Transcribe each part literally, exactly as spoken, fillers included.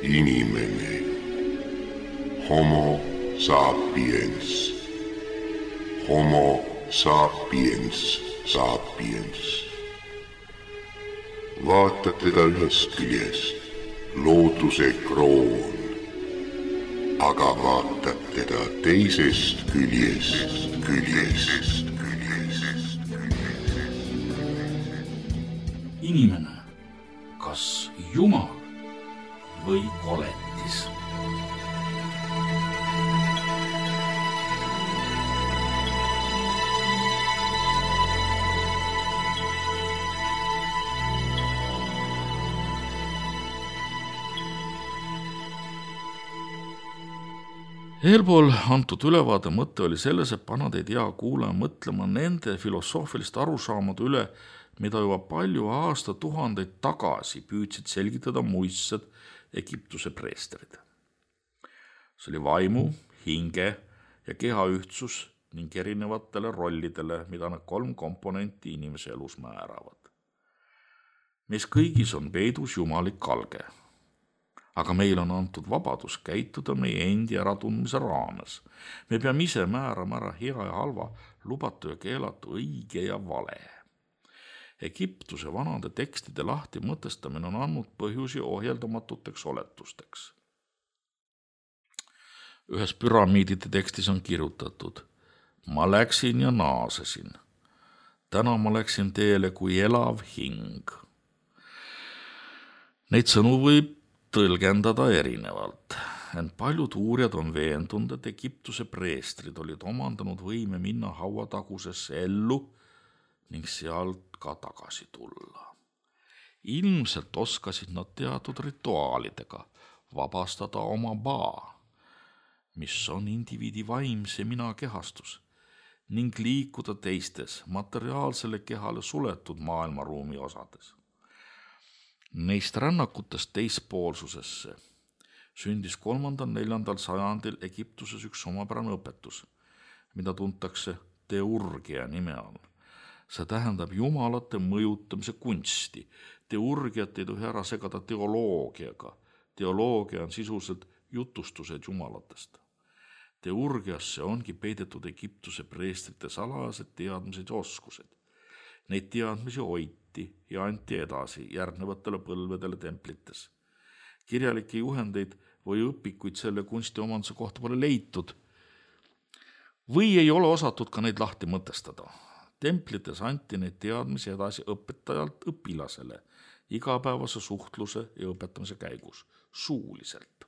Inimene. Homo sapiens. Homo sapiens sapiens. Vaatad teda ühest küljest, looduse kroon, aga vaatad teda teisest küljest, küljest, küljest. Inimene, kas Jumal või koletis? Eelpool antud ülevaade mõte oli selles, et panna teid hea kuulaja mõtlema nende filosoofiliste arusaamade üle, mida juba palju aastatuhandeid tagasi püüdsid selgitada muistsed Egiptuse preestrid. See oli vaimu, hinge ja keha ühtsus ning erinevatele rollidele, mida need kolm komponenti inimese elus määravad. Meis kõigis on peidus jumalik alge. Aga meil on antud vabadus käituda meie endi äratundmise raames. Me peame ise määrama ära hea ja halva, lubatu ja keelatu, õige ja vale. Egiptuse vanade tekstide lahti mõtestamine on andnud põhjusi ohjeldamatuteks oletusteks. Ühes püramiidide tekstis on kirjutatud: ma läksin ja naasesin. Täna ma läksin teele kui elav hing. Neid sõnu võib tõlgendada erinevalt, ent paljud uurijad on veendunud, et Egiptuse preestrid olid omandanud võime minna hauatagusesse ellu ning sealt ka tagasi tulla. Ilmselt oskasid nad teatud rituaalidega vabastada oma baa, mis on indiviidi vaimse mina kehastus, ning liikuda teistes materiaalsele kehale suletud maailmaruumi osades. Neist rännakutest teispoolsusesse sündis kolmandal neljandal sajandil Egiptuses üks omapärane õpetus, mida tuntakse teurgia nime all. See tähendab jumalate mõjutamise kunsti. Teurgiat ei tohi ära segada teoloogiaga. Teoloogia on sisuliselt jutustused jumalatest. Teurgiasse ongi peidetud Egiptuse preestrite salajased teadmised ja oskused. Neid teadmisi hoiti ja anti edasi järgnevatele põlvedele templites. Kirjalikke juhendeid või õpikuid selle kunstiomanduse kohta pole leitud või ei ole osatud ka neid lahti mõtestada. Templites anti neid teadmisi edasi õpetajalt õpilasele igapäevase suhtluse ja õpetamise käigus, suuliselt.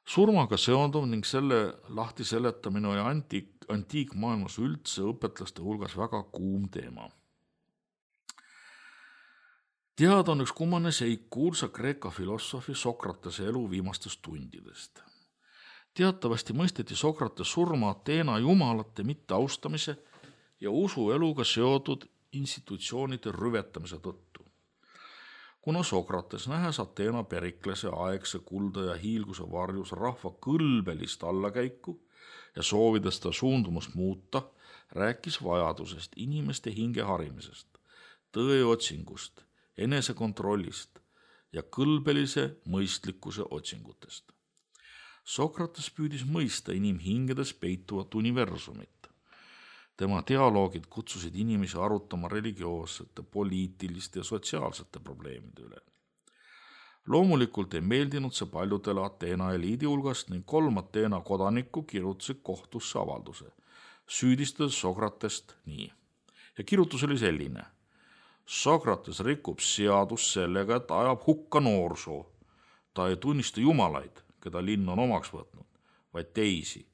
Surmaga seonduv ning selle lahti seletamine oli antiik, antiikmaailmas üldse õpetlaste hulgas väga kuum teema. Teada on üks kummane seik kuulsa Kreeka filosoofi Sokratese elu viimastest tundidest. Teatavasti mõisteti Sokrates surma Ateena jumalate mitteaustamise ja usueluga seotud institutsioonide rüvetamise tõttu. Kuna Sokrates nähes Ateena Periklase aegse kulda ja hiilguse varjus rahva kõlbelist allakäiku ja soovides ta suundumust muuta, rääkis vajadusest inimeste hinge harimisest, tõe otsingust, enesekontrollist ja kõlbelise mõistlikkuse otsingutest. Sokrates püüdis mõista inimhingedes peituvat universumit. Tema dialoogid kutsusid inimesi arutama religioossete, poliitiliste ja sotsiaalsete probleemide üle. Loomulikult ei meeldinud see paljudele Ateena eliidi hulgast ning kolm Ateena kodanikku kirjutasid kohtusse avalduse, süüdistades Sokratest nii. Ja kirjutus oli selline: Sokrates rikub seadus sellega, et ajab hukka noorsoo. Ta ei tunnista jumalaid, keda linn on omaks võtnud, vaid teisi,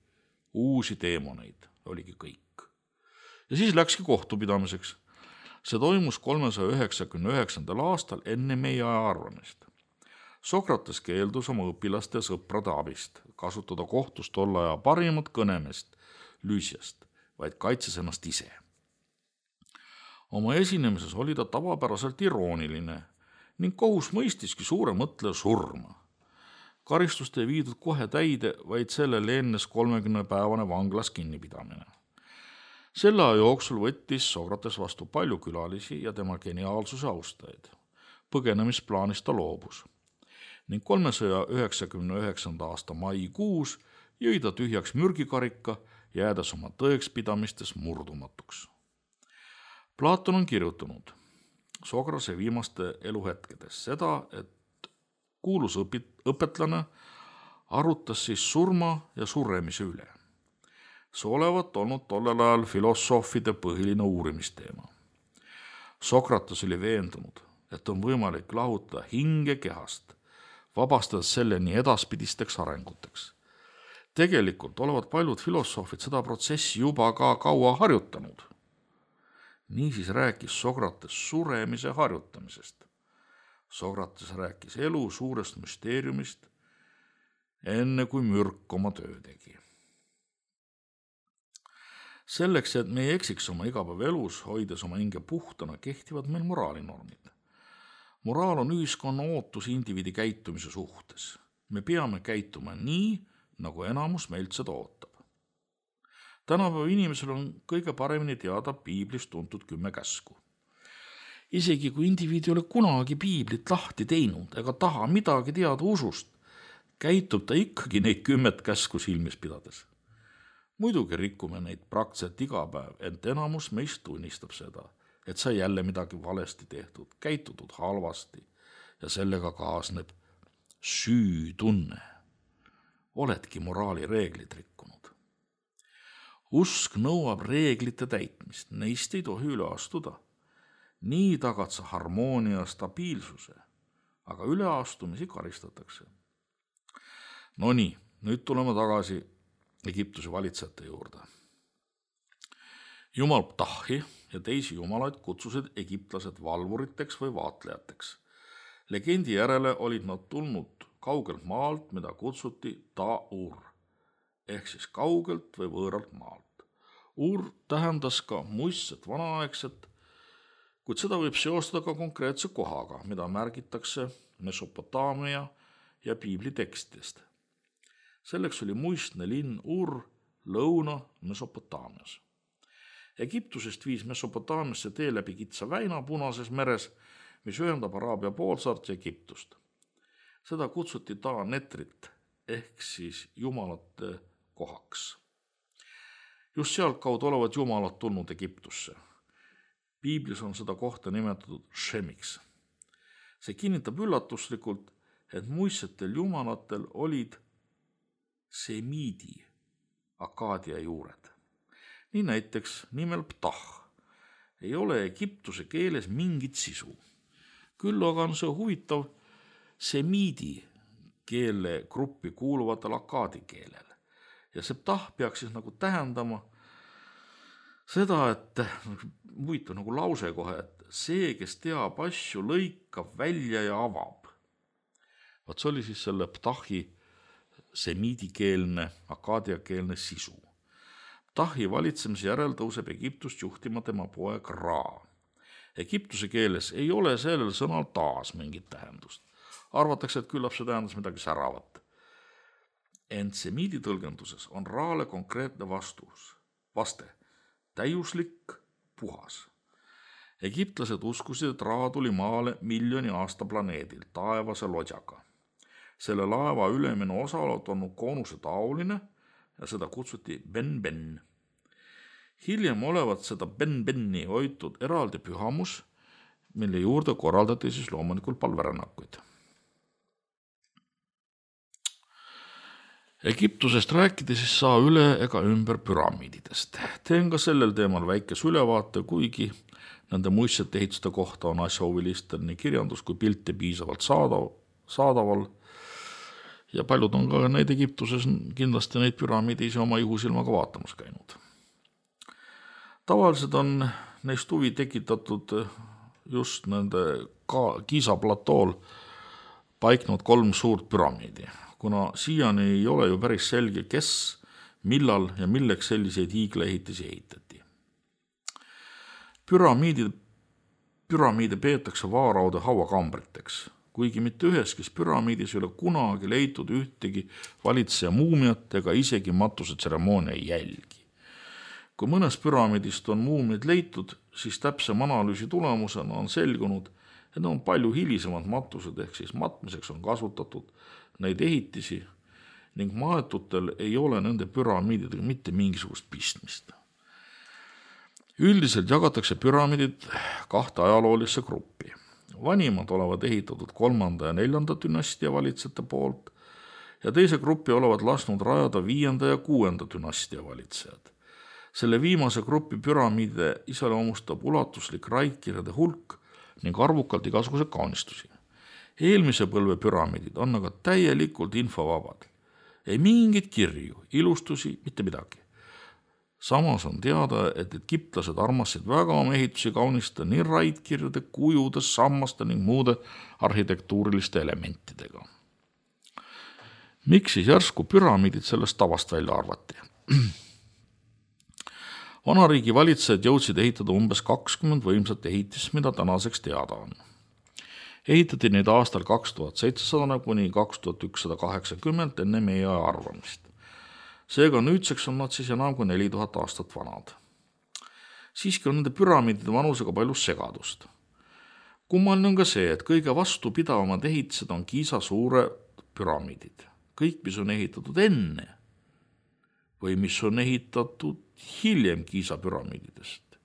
uusi teemoneid, oligi kõik. Ja siis läkski kohtupidamiseks. See toimus kolmesaja üheksakümne üheksandal aastal enne meie aja arvamist. Sokrates keeldus oma õpilaste ja sõprade abist, kasutada kohtus tolle aja parimat kõnemest, Lüüsiast, vaid kaitses ennast ise. Oma esinemises oli ta tavapäraselt irooniline ning kohus mõistiski suure mõtleja surma. Karistust ei viidud kohe täide, vaid sellele ennes kolmekümne päevane vanglas kinnipidamine. Selle aja jooksul võttis Sokrates vastu palju külalisi ja tema geniaalsuse austajaid. Põgenemisplaanist ta loobus. ning kolmesaja üheksakümne üheksanda aasta maikuus jõi ta tühjaks mürgikarika, jäädes oma tõekspidamistes murdumatuks. Platon on kirjutanud Sokrase viimaste eluhetkedes seda, et kuulus õpit, õpetlane arutas siis surma ja suremise üle. See olevat olnud tollel ajal filosoofide põhiline uurimisteema. Sokrates oli veendunud, et on võimalik lahutada hinge kehast, vabastades selle nii edaspidisteks arenguteks. Tegelikult olevat paljud filosoofid seda protsessi juba ka kaua harjutanud. Niisiis rääkis Sokrates suremise harjutamisest. Sokrates rääkis elu suurest müsteeriumist, enne kui mürk oma töö tegi. Selleks, et me ei eksiks oma igapäevaelus, hoides oma hinge puhtana, kehtivad meil moraalinormid. Moraal on ühiskonna ootus indiviidi käitumise suhtes. Me peame käituma nii, nagu enamus meilt seda ootab. Tänapäeva inimesel on kõige paremini teada piiblist tuntud kümme käsku. Isegi kui indiviid ei ole kunagi piiblit lahti teinud ega taha midagi teada usust, käitub ta ikkagi neid kümmet käsku silmis pidades. Muidugi rikkume neid praktiliselt iga päev, ent enamus meist tunnistab seda, et sai jälle midagi valesti tehtud, käitutud halvasti ja sellega kaasneb süütunne. Oledki moraali reeglid rikkunud. Usk nõuab reeglite täitmist, neist ei tohi üle astuda. Nii tagad sa harmoonia stabiilsuse, aga üleastumisi karistatakse. No nii, nüüd tuleme tagasi Egiptuse valitsejate juurde. Jumal Ptahi ja teisi jumalaid kutsusid egiptlased valvuriteks või vaatlejateks. Legendi järele olid nad tulnud kaugelt maalt, mida kutsuti Ta-ur, ehk siis kaugelt või võõralt maalt. Ur tähendas ka muistset vanaaegset, kuid seda võib seostada ka konkreetse kohaga, mida märgitakse Mesopotaamia ja piibli tekstidest. Selleks oli muistne linn Ur lõuna Mesopotaamias. Egiptusest viis Mesopotaamiasse tee läbi kitsa väina Punases meres, mis ühendab Araabia poolsaart ja Egiptust. Seda kutsuti Ta-Netrit ehk siis jumalate kohaks. Just sealt kaudu olevat jumalad tulnud Egiptusse. Piiblis on seda kohta nimetatud Shemiks. See kinnitab üllatuslikult, et muistsetel jumalatel olid semiidi akaadia juured. Nii näiteks nimel Ptah ei ole Egiptuse keeles mingit sisu. Küll aga on see huvitav semiidi keele gruppi kuuluvatel akaadi keelel. Ja see Ptah peaks siis nagu tähendama seda, et huvitav nagu lause kohe, et see, kes teab asju, lõikab välja ja avab. Vaat see oli siis selle Ptahi semiidikeelne, akaadiakeelne sisu. Ptahi valitsemise järel tõuseb Egiptust juhtima tema poeg Ra. Egiptuse keeles ei ole sellel sõnal taas mingit tähendust. Arvatakse, et küllap see tähendas midagi säravat. Ent semiidi tõlgenduses on Raale konkreetne vastus, vaste, täiuslik, puhas. Egiptlased uskusid, et Ra tuli maale miljoni aasta planeedil taevase lodjaga. Selle laeva ülemine osa on koonuse taoline ja seda kutsuti Ben-Ben. Hiljem olevat seda Ben-Benni hoitud eraldi pühamus, mille juurde korraldati siis loomulikult palverännakuid. Egiptusest rääkida siis saa üle ega ümber püramiididest. Teen ka sellel teemal väikes ülevaate, kuigi nende muistsete ehituste kohta on asjahuvilistel nii kirjandus kui pilte piisavalt saadav, saadaval ja paljud on ka neid Egiptuses kindlasti neid püramiidi ise oma ihusilmaga vaatamas käinud. Tavaliselt on neist huvi tekitatud just nende Giza platool paiknud kolm suurt püramiidi, kuna siiani ei ole ju päris selge, kes, millal ja milleks selliseid hiiglaehitisi ehitati. Püramiide, püramiide peetakse vaaraude hauakambriteks, kuigi mitte üheskis püramiidis ei ole kunagi leitud ühtegi valitseja muumiat ega isegi matuse tseremoonia jälgi. Kui mõnes püramiidist on muumiad leitud, siis täpsem analüüsi tulemusena on selgunud, Need on palju hilisemad matused, ehk siis matmiseks on kasutatud neid ehitisi ning maetutel ei ole nende püramiididega mitte mingisugust pistmist. Üldiselt jagatakse püramiidid kahte ajaloolisse gruppi. Vanimad olevat ehitatud kolmanda ja neljanda dünastia valitsejate poolt ja teise gruppi olevat lasknud rajada viienda ja kuuenda dünastia valitsejad. Selle viimase gruppi püramiide iseloomustab ulatuslik raidkirjade hulk ning arvukalt igasuguse kaunistusi. Eelmise põlve püramiidid on aga täielikult infovabad. Ei mingit kirju, ilustusi, mitte midagi. Samas on teada, et egiptlased armasid väga oma ehitusi kaunistada nii raidkirjade, kujude, sammaste ning muude arhitektuuriliste elementidega. Miks siis järsku püramiidid sellest tavast välja arvati? Vanariigi valitsejad jõudsid ehitada umbes kakskümmend võimsat ehitist, mida tänaseks teada on. Ehitati neid aastal kaks tuhat seitsesada kuni kaks tuhat ükssada kaheksakümmend enne meie aja arvamist. Seega nüüdseks on nad siis enam kui neli tuhat aastat vanad. Siiski on nende püramiidide vanusega palju segadust. Kummaline on ka see, et kõige vastupidavamad ehitised on Giza suure püramiidid. Kõik, mis on ehitatud enne või mis on ehitatud hiljem Giza püramiididest,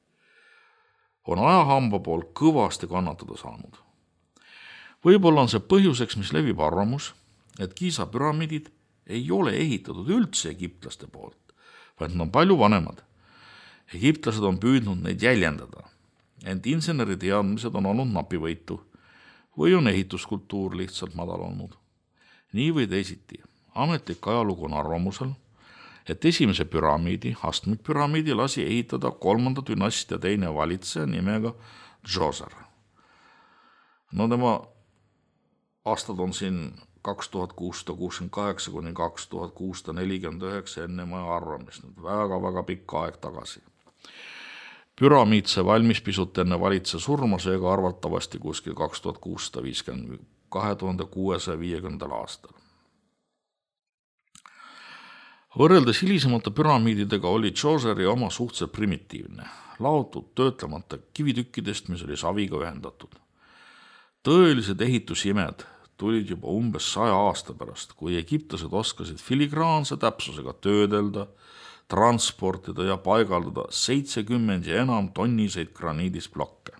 on ajahamba poolt kõvasti kannatada saanud. Võib-olla on see põhjuseks, mis levib arvamus, et Giza püramiidid ei ole ehitatud üldse egiptlaste poolt, vaid nad on palju vanemad. Egiptlased on püüdnud neid jäljendada, ent inseneri teadmised on olnud napivõitu või on ehituskultuur lihtsalt madal olnud. Nii või teisiti, ametlik ajalugu on arvamusel, et esimese püramiidi, astmikpüramiidi lasi ehitada kolmanda dünastia teine valitseja nimega Djoser. No tema aastad on siin kaks tuhat kuussada kuuskümmend kaheksa kuni kaks tuhat kuussada nelikümmend üheksa enne maja arvamist, nüüd väga-väga pikka aeg tagasi. Püramiid see valmis pisut enne valitseja surma, seega arvatavasti kuskil kaks tuhat kuussada viiskümmend kahe tuhande kuuesaja viiekümnendal aastal. Võrreldes hilisemate püramiididega oli Djoseri oma suhteliselt primitiivne, laotud töötlemata kivitükkidest, mis oli saviga ühendatud. Tõelised ehitusimed tulid juba umbes saja aasta pärast, kui egiptlased oskasid filigraanse täpsusega töödelda, transportida ja paigaldada seitsekümmend ja enam tonniseid graniidist blokke.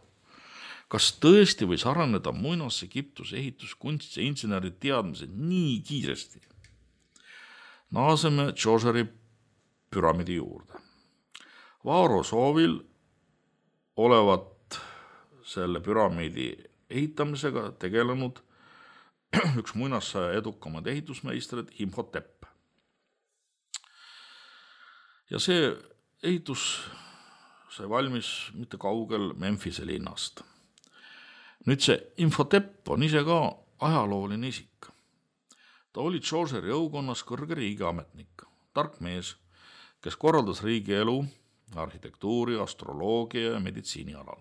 Kas tõesti võis areneda muinas Egiptuse ehituskunst ja inseneri teadmised nii kiiresti? Naaseme Djoseri püramiidi juurde. Vaaro soovil olevat selle püramiidi ehitamisega tegelenud üks muinassaja edukamad ehitusmeistrid Imhotep. Ja see ehitus sai valmis mitte kaugel Memphise linnast. Nüüd see Imhotep on ise ka ajalooline isik. Ta oli Djoseri jõukonnas kõrge riigiametnik, tark mees, kes korraldas riigi elu, arhitektuuri, astroloogia ja meditsiini alal.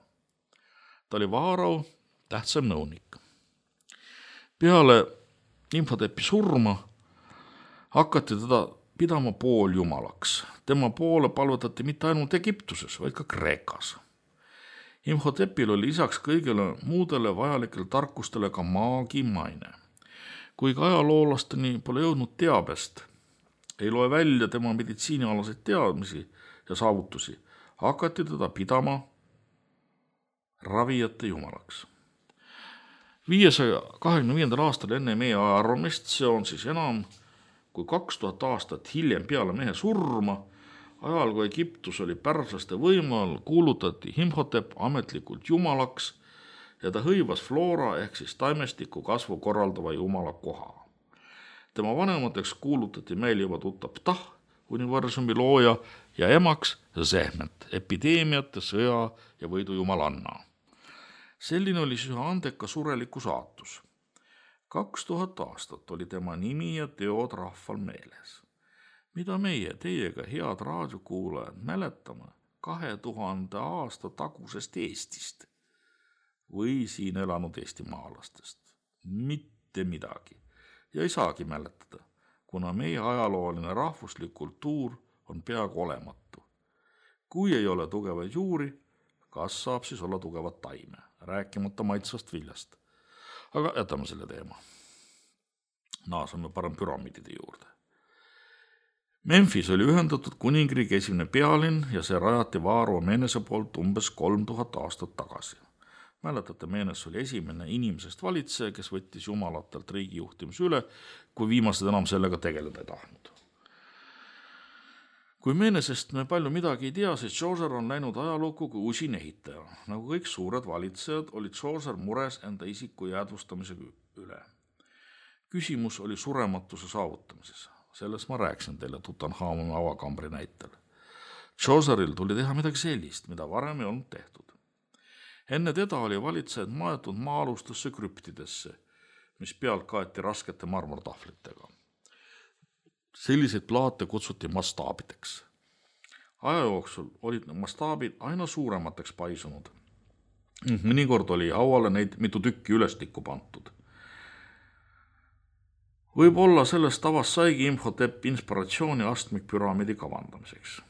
Ta oli Vaaro tähtsam nõunik. Peale Imhotepi surma hakati teda pidama pooljumalaks. Tema poole palvetati mitte ainult Egiptuses, vaid ka Kreekas. Imhotepil oli lisaks kõigile muudele vajalikele tarkustele ka maagi maine. Kuigi ajaloolasteni pole jõudnud teabest, ei loe välja tema meditsiinialaseid teadmisi ja saavutusi, hakati teda pidama ravijate jumalaks. viiesaja kahekümne viiendal aastal enne meie aja arvamist, see on siis enam kui kaks tuhat aastat hiljem peale mehe surma, ajal kui Egiptus oli pärslaste võimal, kuulutati Imhotep ametlikult jumalaks ja ta hõivas floora ehk siis taimestiku kasvu korraldava jumala koha. Tema vanemateks kuulutati meil juba tuttav Ptah, universumi looja, ja emaks Zehmet, epideemiate, sõja ja võidu jumalanna. Selline oli siis andeka sureliku saatus. Kaks tuhat aastat oli tema nimi ja teod rahval meeles. Mida meie teiega, head raadiokuulajad, mäletame kahe tuhande aasta tagusest Eestist või siin elanud eestimaalastest? Mitte midagi. Ja ei saagi mäletada, kuna meie ajalooline rahvuslik kultuur on peaaegu olematu. Kui ei ole tugevaid juuri, kas saab siis olla tugevat taime, rääkimata maitsvast viljast. Aga jätame selle teema. Naasame parem püramiidide juurde. Memphis oli ühendatud kuningriigi esimene pealinn ja see rajati Vaaro Menese poolt umbes kolm tuhat aastat tagasi. Mäletate, Menes oli esimene inimesest valitseja, kes võttis jumalatelt riigi juhtimise üle, kui viimased enam sellega tegeleda ei tahtnud. Kui Menesest me palju midagi ei tea, siis Chaucer on läinud ajalukku kui usin ehitaja. Nagu kõik suured valitsejad, oli Chaucer mures enda isiku jäädvustamise üle. Küsimus oli surematuse saavutamises. Selles ma rääksin teile Tutankhamuni avakambri näitel. Chauceril tuli teha midagi sellist, mida varem ei olnud tehtud. Enne teda oli valitsejad maetud maa-alustesse krüptidesse, mis pealt kaeti raskete marmortahvlitega. Selliseid plaate kutsuti mastaabideks. Aja jooksul olid mastaabid aina suuremateks paisunud. Mõnikord oli hauale neid mitu tükki ülestikku pantud. Võib-olla sellest tavast saigi Imhotep inspiratsiooni astmikpüramiidi kavandamiseks.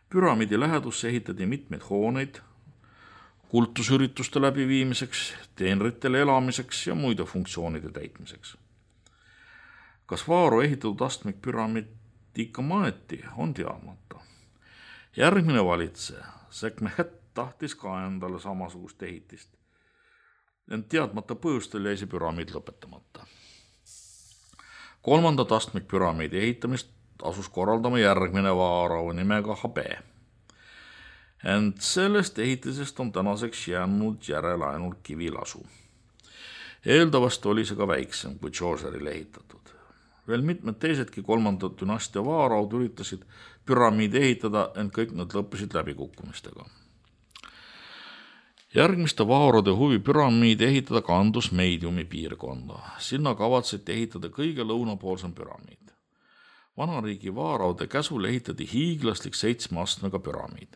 Püramiidi lähedusse ehitati mitmeid hooneid, kultusürituste läbiviimiseks, teenritele elamiseks ja muide funktsioonide täitmiseks. Kas Vaaro ehitatud astmikpüramiid ikka maeti, on teadmata. Järgmine valitseja, Sekhmet, tahtis ka endale samasugust ehitist. Ent teadmata põhjustel jäi see püramiid lõpetamata. Kolmandat astmikpüramiidi ehitamist asus korraldama järgmine Vaaro nimega Habe. Ent sellest ehitisest on tänaseks jäänud järele ainult kivilasu. Eeldavasti oli see ka väiksem kui Chauceril ehitatud. Veel mitmed teisedki kolmanda dünastia Vaaraud üritasid püramiidi ehitada, ent kõik nad lõppesid läbikukkumistega. Järgmiste Vaarode huvi püramiidi ehitada kandus Meidiumi piirkonda. Sinna kavatseti ehitada kõige lõunapoolsem püramiid. Vanariigi Vaaraude käsul ehitati hiiglaslik seitsme astmega püramiid.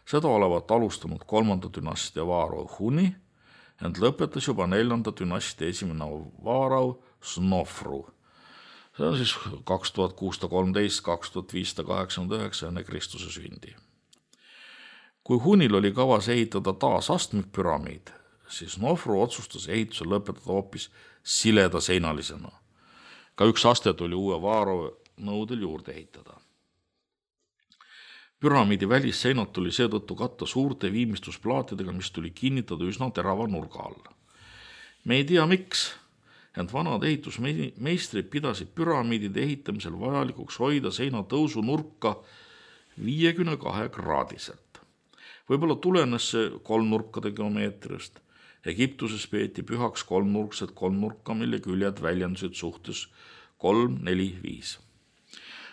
Seda olevat alustanud kolmanda dünastia Vaaro Huni, ent lõpetas juba neljanda dünastia esimene Vaarau Snofru. See on siis kaks tuhat kuussada kolmteist kaks tuhat viissada kaheksakümmend üheksa enne Kristuse sündi. Kui Hunil oli kavas ehitada taas astmikpüramiid, siis Snofru otsustas ehituse lõpetada hoopis sileda seinalisena. Ka üks aste tuli uue Vaaro nõudel juurde ehitada. Püramiidi välisseinad tuli seetõttu katta suurte viimistlusplaatidega, mis tuli kinnitada üsna terava nurga all. Me ei tea miks, ent vanad ehitusmeistrid pidasid püramiidide ehitamisel vajalikuks hoida seina tõusu nurka viiekümne kahe kraadiselt. Võib-olla tulenes see kolmnurkade geomeetriast. Egiptuses peeti pühaks kolmnurksed kolmnurka, mille küljed väljendusid suhtes kolm, neli, viis.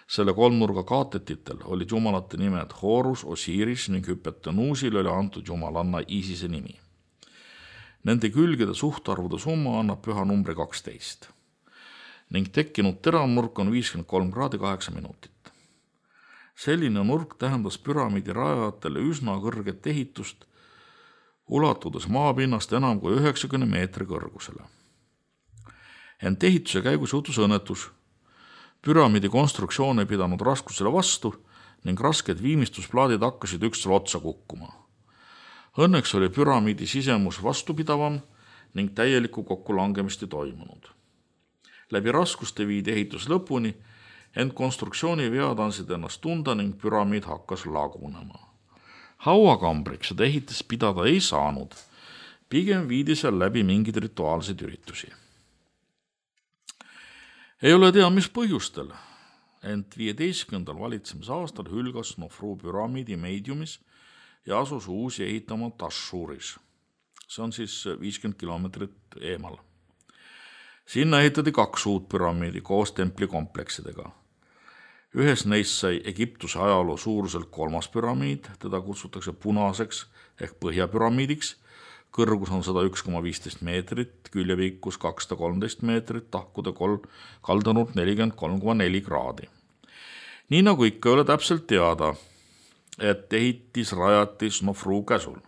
Selle kolmnurga kaatetitel olid jumalate nimed Horus, Osiris ning Hüpetenuusil oli antud jumalanna Isise nimi. Nende külgede suhtarvude summa annab püha numbri kaksteist ning tekkinud teravnurk on viiskümmend kolm kraadi kaheksa minutit. Selline nurk tähendas püramiidi rajajatele üsna kõrget ehitust, ulatudes maapinnast enam kui üheksakümne meetri kõrgusele. Ent ehituse käigus juhtus õnnetus. Püramiidi konstruktsioon ei pidanud raskusele vastu ning rasked viimistlusplaadid hakkasid üksteisele otsa kukkuma. Õnneks oli püramiidi sisemus vastupidavam ning täielikku kokkulangemist ei toimunud. Läbi raskuste viidi ehitus lõpuni, ent konstruktsiooni vead andsid ennast tunda ning püramiid hakkas lagunema. Hauakambriks seda ehitist pidada ei saanud, pigem viidi seal läbi mingeid rituaalseid üritusi. Ei ole tea, mis põhjustel, ent viieteistkümnendal valitsemise aastal hülgas Snofru püramiidi Meidiumis ja asus uusi ehitama Tashuris. See on siis viiskümmend kilomeetrit eemal. Sinna ehitati kaks uut püramiidi koos templikompleksidega. Ühes neist sai Egiptuse ajaloo suuruselt kolmas püramiid, teda kutsutakse punaseks ehk põhjapüramiidiks. Kõrgus on sada üks koma viisteist meetrit, küljepikkus kakssada kolmteist meetrit, tahkude kolm, kaldanurk nelikümmend kolm koma neli kraadi. Nii nagu ikka ei ole täpselt teada, et ehitis rajati Snofru käsul.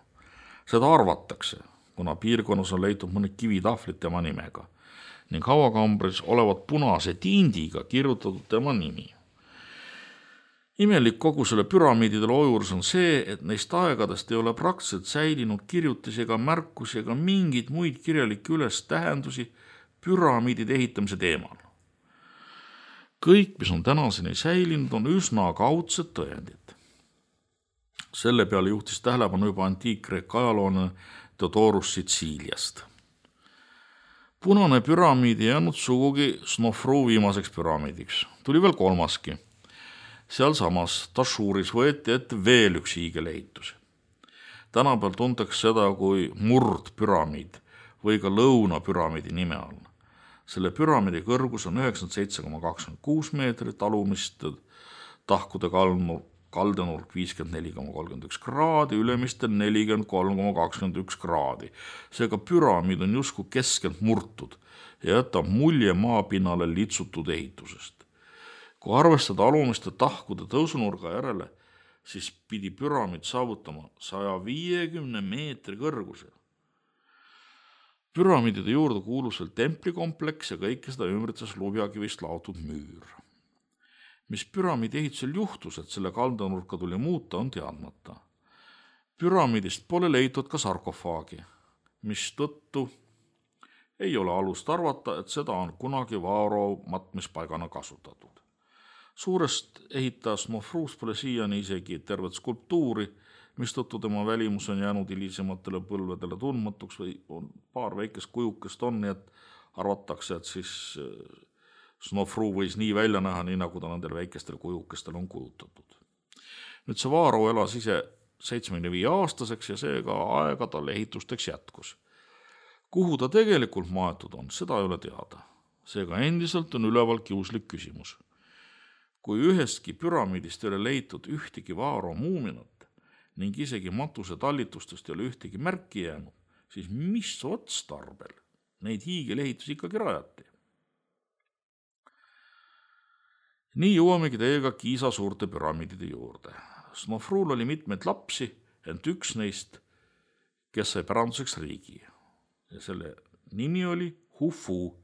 Seda arvatakse, kuna piirkonnas on leitud mõned kivitahvlid tema nimega ning hauakambris olevat punase tindiga kirjutatud tema nimi. Imelik kogu selle püramiidide loo juures on see, et neist aegadest ei ole praktiliselt säilinud kirjutisi ega märkusi ega mingeid muid kirjalikke üles tähendusi püramiidide ehitamise teemal. Kõik, mis on tänaseni säilinud, on üsna kaudsed tõendid. Selle peale juhtis tähelepanu juba antiik-Kreeka ajaloone Theodorus Sitsiiliast. Punane püramiid ei jäänud sugugi Snofru viimaseks püramiidiks. Tuli veel kolmaski. Seal samas Tashuris võeti ette veel üks hiigelehitus. Tänapäeval tuntakse seda kui murdpüramiid või ka lõunapüramiidi nime all. Selle püramiidi kõrgus on üheksakümmend seitse koma kakskümmend kuus meetrit, alumiste tahkude kaldenurk viiskümmend neli koma kolmkümmend üks kraadi, ülemistel nelikümmend kolm koma kakskümmend üks kraadi. Seega püramiid on justkui keskelt murtud ja jätab mulje maapinnale litsutud ehitusest. Kui arvestada alumiste tahkude tõusunurga järele, siis pidi püramiid saavutama saja viiekümne meetri kõrguse. Püramiidide juurde kuulus veel templikompleks ja kõike seda ümbritses lubjakivist laotud müür. Mis püramiidi ehitusel juhtus, et selle kaldanurka tuli muuta, on teadmata. Püramiidist pole leitud ka sarkofaagi, mis tõttu ei ole alust arvata, et seda on kunagi Vaaro matmispaigana kasutatud. Suurest ehitas Snofrus pole siiani isegi tervet skulptuuri, mistõttu tema välimus on jäänud hilisematele põlvedele tundmatuks või on paar väikest kujukest on, nii et arvatakse, et siis Snofru võis nii välja näha, nii nagu ta nendel väikestel kujukestel on kujutatud. Nüüd see Vaaro elas ise seitsmekümne viie aastaseks ja seega aega tal ehitusteks jätkus. Kuhu ta tegelikult maetud on, seda ei ole teada. Seega endiselt on üleval kiuslik küsimus. Kui ühestki püramiidist ei ole leitud ühtegi Vaaro muuminat ning isegi matuse tallitustest ei ole ühtegi märki jäänud, siis mis otstarbel neid hiigelehitusi ikkagi rajati? Nii jõuamegi teiega Giza suurte püramiidide juurde. Snofrul oli mitmeid lapsi, ent üks neist, kes sai päranduseks riigi. Ja selle nimi oli Hufu,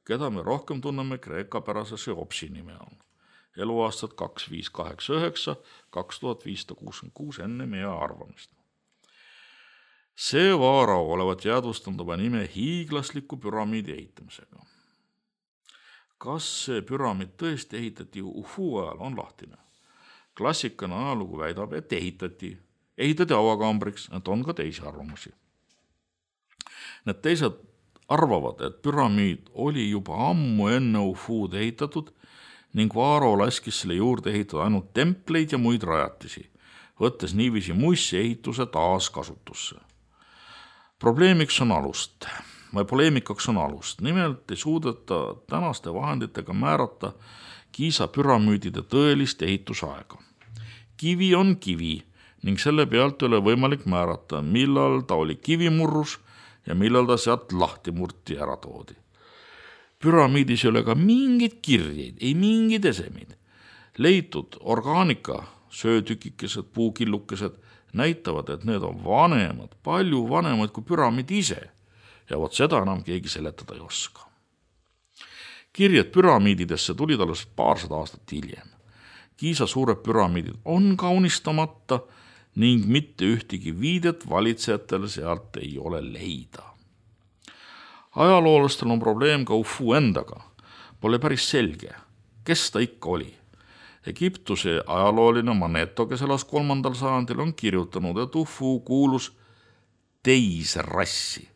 keda me rohkem tunneme kreekapärase Cheopsi nime all. Eluaastad kaks viis kaheksa üheksa kaks tuhat viissada kuuskümmend kuus enne meie arvamist. See Vaaro olevat jäädvustanud oma nime hiiglasliku püramiidi ehitamisega. Kas see püramiid tõesti ehitati Hufu ajal, on lahtine. Klassikana ajalugu väidab, et ehitati. Ehitati avakambriks, et on ka teisi arvamusi. Need teised arvavad, et püramiid oli juba ammu enne Hufuud ehitatud ning Vaaro laskis selle juurde ehitada ainult templeid ja muid rajatisi, võttes niiviisi muissi ehituse taas kasutusse. Probleemiks on alust, või poleemikaks on alust. Nimelt ei suudeta tänaste vahenditega määrata Giza püramiidide tõelist ehitusaega. Kivi on kivi ning selle pealt ei ole võimalik määrata, millal ta oli kivimurrus ja millal ta sealt lahti murti ära toodi. Püramiidis ei ole ka mingid kirjeid, ei mingid esemid. Leitud orgaanika, söötükikesed, puukillukesed näitavad, et need on vanemad, palju vanemad kui püramiid ise ja vot seda enam keegi seletada ei oska. Kirjed püramiididesse tulid alles paarsada aastat hiljem. Giza suured püramiidid on kaunistamata ning mitte ühtegi viidet valitsejatele sealt ei ole leida. Ajaloolastel on probleem ka Hufu endaga. Pole päris selge, kes ta ikka oli. Egiptuse ajalooline Maneto, kes elas kolmandal sajandil, on kirjutanud, et Hufu kuulus teise rassi.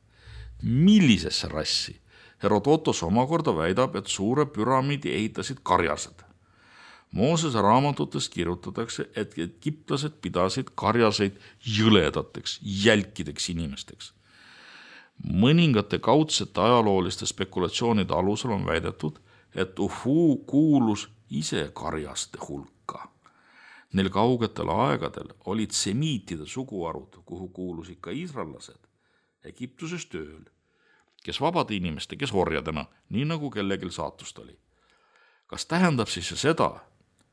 Millisesse rassi? Herodotos omakorda väidab, et suure püramiidi ehitasid karjased. Moosese raamatutes kirjutatakse, et egiptlased pidasid karjaseid jõledateks, jälkideks inimesteks. Mõningate kaudsete ajalooliste spekulatsioonide alusel on väidetud, et Hufu kuulus ise karjaste hulka. Neil kaugetel aegadel olid semiitide suguarud, kuhu kuulusid ka iisraellased, Egiptuses tööl, kes vabade inimeste, kes orjadena, nii nagu kellegil saatust oli. Kas tähendab siis seda,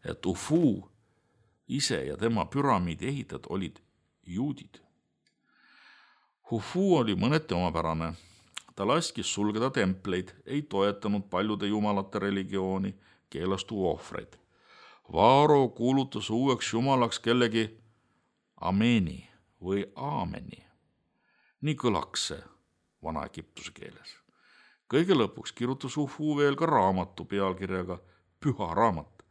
et Hufu ise ja tema püramiidi ehitajad olid juudid? Hufu oli mõneti omapärane. Ta laskis sulgeda templeid, ei toetanud paljude jumalate religiooni, keelas tuua ohvreid. Vaaro kuulutas uueks jumalaks kellegi Ameni või Aameni. Nii kõlaks see vana Egiptuse keeles. Kõige lõpuks kirjutas Hufu veel ka raamatu pealkirjaga Püha raamat,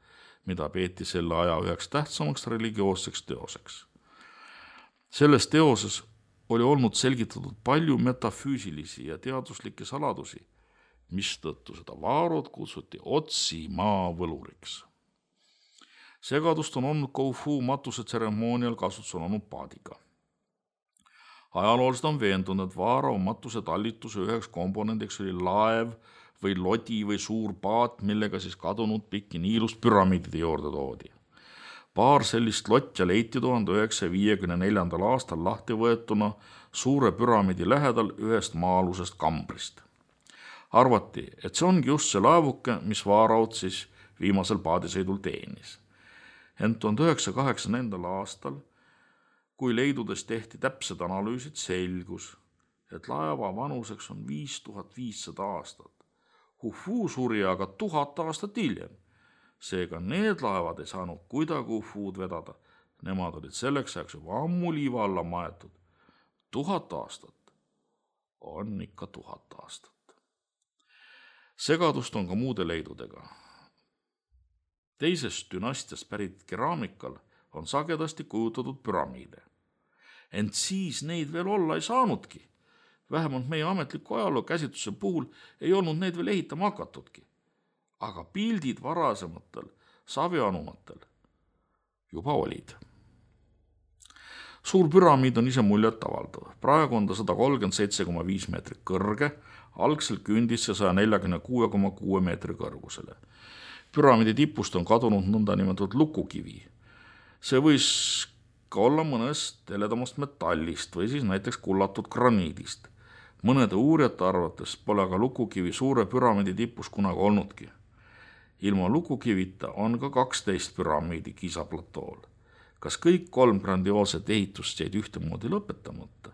mida peeti selle aja üheks tähtsamaks religioosseks teoseks. Selles teoses oli olnud selgitatud palju metafüüsilisi ja teaduslikke saladusi, mistõttu seda Vaarot kutsuti Otsi maa võluriks. Segadust on olnud Hufu matuse tseremoonial kasutusel olnud paadiga. Ajaloolised on veendunud, et Vaaro matuse tallituse üheks komponendiks oli laev või lodi või suur paat, millega siis kadunud pikki Niilust püramiidide juurde toodi. Paar sellist lotja leiti tuhande üheksasaja viiekümne neljandal aastal lahti võetuna suure püramiidi lähedal ühest maa-alusest kambrist. Arvati, et see ongi just see laevuke, mis Vaaraut siis viimasel paadisõidul teenis. Ent tuhande üheksasaja kaheksakümnendal aastal, kui leidudes tehti täpsed analüüsid, selgus, et laeva vanuseks on viis tuhat viissada aastat. Hufu suri aga tuhat aastat hiljem. Seega need laevad ei saanud kuidagi Hufud vedada. Nemad olid selleks ajaks juba ammu liiva alla maetud. Tuhat aastat on ikka tuhat aastat. Segadust on ka muude leidudega. Teisest dünastiast pärit keraamikal on sagedasti kujutatud püramiide. Ent siis neid veel olla ei saanudki. Vähemalt meie ametliku ajaloo käsitluse puhul ei olnud neid veel ehitama hakatudki. Aga pildid varasematel savianumatel juba olid. Suur püramiid on ise muljet avaldav. Praegu on ta sada kolmkümmend seitse koma viis meetrit kõrge, algselt kündis see sada nelikümmend kuus koma kuus meetri kõrgusele. Püramiidi tipust on kadunud nõnda nimetatud lukukivi. See võis ka olla mõnest heledamast metallist või siis näiteks kullatud graniidist. Mõnede uurijate arvates pole aga lukukivi suure püramiidi tipus kunagi olnudki. Ilma lukukivita on ka kaksteist püramiidi Giza-platool. Kas kõik kolm grandioolset ehitust jäid ühtemoodi lõpetamata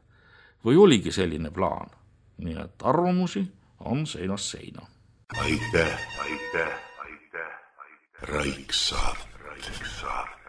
või oligi selline plaan? Nii et arvamusi on seinast seina. Aitäh, aitäh, aitäh, aitäh. Raiksaart. Raiksaart.